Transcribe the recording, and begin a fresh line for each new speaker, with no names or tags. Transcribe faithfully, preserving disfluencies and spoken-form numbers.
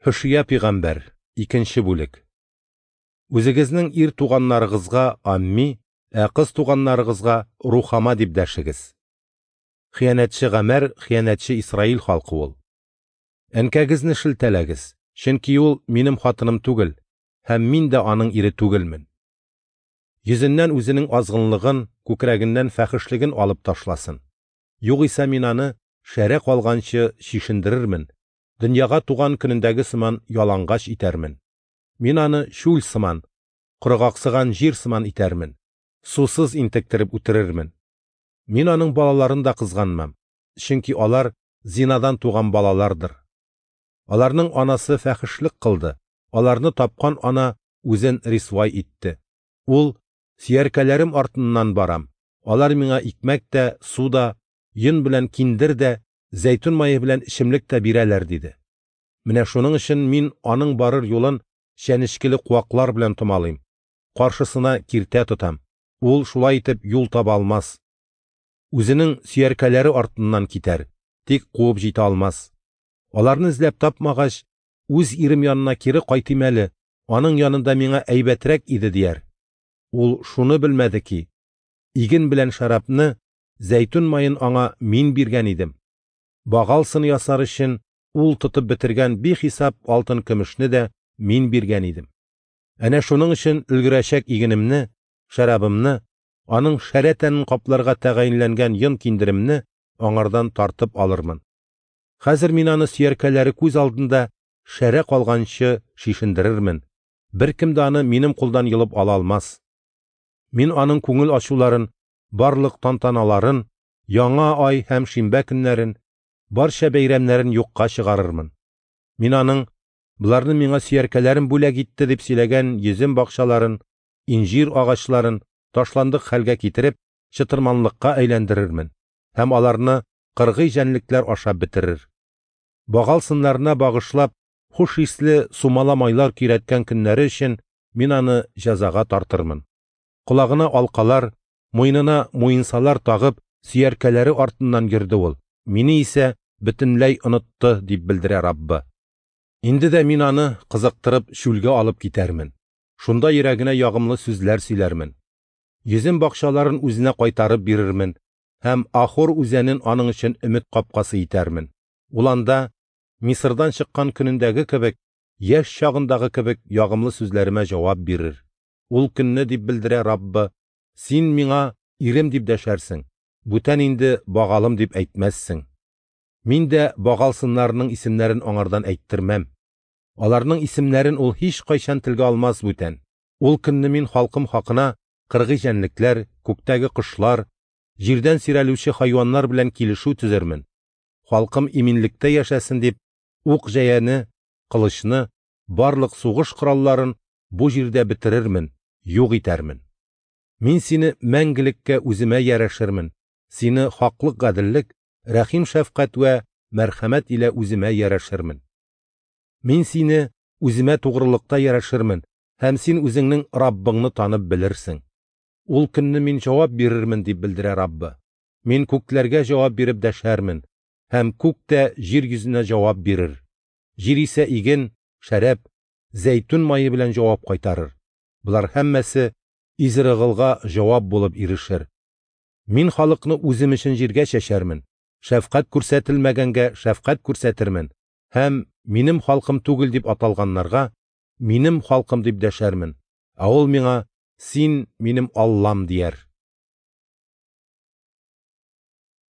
Һошия пәйгамбәр, икенче бүлек. Үзегезнең ир туганнарыгызга Амми, ә кыз туганнарыгызга Рухама дип дәшегез. Хыянәтче Гамәр, хыянәтче Исраил халкы ул. Әнкәгезне шелтәләгез, чөнки ул минем хатыным түгел, һәм мин дә аның ире түгелмен. Йөзеннән үзенең азгынлыгын, күкрәгеннән фәхешлеген алып ташласын. Югыйсә мин аны шәрә калганчы чишендерермен, дөньяга туган көнендәге сыман ялангач итәрмен. Мин аны чүл сыман, коргаксыган җир сыман итәрмен, сусыз интектереп үтерермен. Мин аның балаларын да кызганмам, чөнки алар зинадан туган балалардыр. Аларның анасы фәхешлек кылды, аларны тапкан ана үзен рисвай итте. Ул: "Сөяркәләрем артыннан барам, алар миңа икмәк тә, су да, йон белән киндер дә, зәйтүн мае белән эчемлек тә бирәләр", диде. Менә шуның өчен мин аның барыр юлын чәнечкеле куаклар белән томалыйм, каршысына киртә тотам. Ул шулай итеп юл таба алмас. Үзенең сөяркәләре артыннан китәр, тик куып җитә алмас. Аларны эзләп тапмагач, үз ирем янына кире кайтыйм әле, аның янында миңа әйбәтрәк иде, дияр. Ул шуны белмәде ки, иген белән шәрабны, зәйтүн маен аңа мин биргән идем. Багал сыны ясар өчен ул тотып бетергән бихисап алтын көмешне дә мин биргән идем. Әнә шуның өчен өлгерәчәк игенемне, шәрабымны, аның шәрә тәнен капларга тәгаенләнгән йон киндеремне аңардан тартып алырмын. Хәзер мин аны сөяркәләре күз алдында шәрә калганчы шишендерермен. Беркем дә аны минем кулдан йолып ала алмас. Мин аның күңел ачуларын, барлык тантаналарын, яңа ай һәм шимбә көннәрен, барча бәйрәмнәрен юкка чыгарырмын. Мин аның "Боларны миңа сөяркәләрем бүләк итте" дип сөйләгән йөзем бакчаларын, инҗир агачларын ташландык хәлгә китереп, чытырманлыкка әйләндерермен һәм аларны кыргый җәнлекләр ашап бетерер. Багал сыннарына багышлап, хуш исле сумала майлар көйрәткән көннәре өчен мин аны җәзага тартырмын. Колагына алкалар, муенына муенсалар тагып, сөяркәләре артыннан йөрде ул. Мине исә бөтенләй онытты, дип белдерә Раббы. Инде дә мин аны кызыктырып чүлгә алып китәрмен. Шунда йөрәгенә ягымлы сүзләр сөйләрмен. Йөзем бакчаларын үзенә кайтарып бирермен һәм Ахор үзәнен аның өчен өмет капкасы итәрмен. Ул анда Мисырдан чыккан көнендәге кебек, яшь чагындагы кебек ягымлы сүзләремә җавап бирер. Ул көнне, дип белдерә Раббы, син миңа ирем дип дәшәрсең, бүтән инде багалым дип әйтмәссең. Мин дә багал сыннарының исемнәрен аңардан әйттермәм. Аларның исемнәрен ул һич кайчан телгә алмас бүтән. Ул көнне мин халкым хакына кыргый җәнлекләр, күктәге кошлар, җирдән сөйрәлүче хайваннар белән килешү төзермен. Халкым иминлектә яшәсен дип, ук җәяне, кылычны, барлык сугыш коралларын бу җирдә бетерермен, юк итәрмен. Мин сине мәңгелеккә үземә ярәшермен, сине хаклык, гаделлек, рәхим шәфкать вә мәрхәмәт илә үземә ярәшермен. Мин сине үземә тугрылыкта ярәшермен, һәм син үзеңнең Раббыңны танып белерсең. Ул көнне мин җавап бирермен, дип белдерә Раббы. Мин күкләргә җавап биреп дәшәрмен, һәм күк тә җир йөзенә җавап бирер. Җир исә иген, шәраб, зәйтүн мае белән җавап кайтарыр. Болар һәммәсе Изрыгылга җавап булып ирешер. Мин халыкны үзем өчен җиргә чәчәрмен, шәфкать күрсәтелмәгәнгә шәфкать күрсәтермен, һәм минем халкым түгел дип аталганнарга минем халкым дип дәшәрмен. Ә ул миңа: "Син минем Аллам" дияр.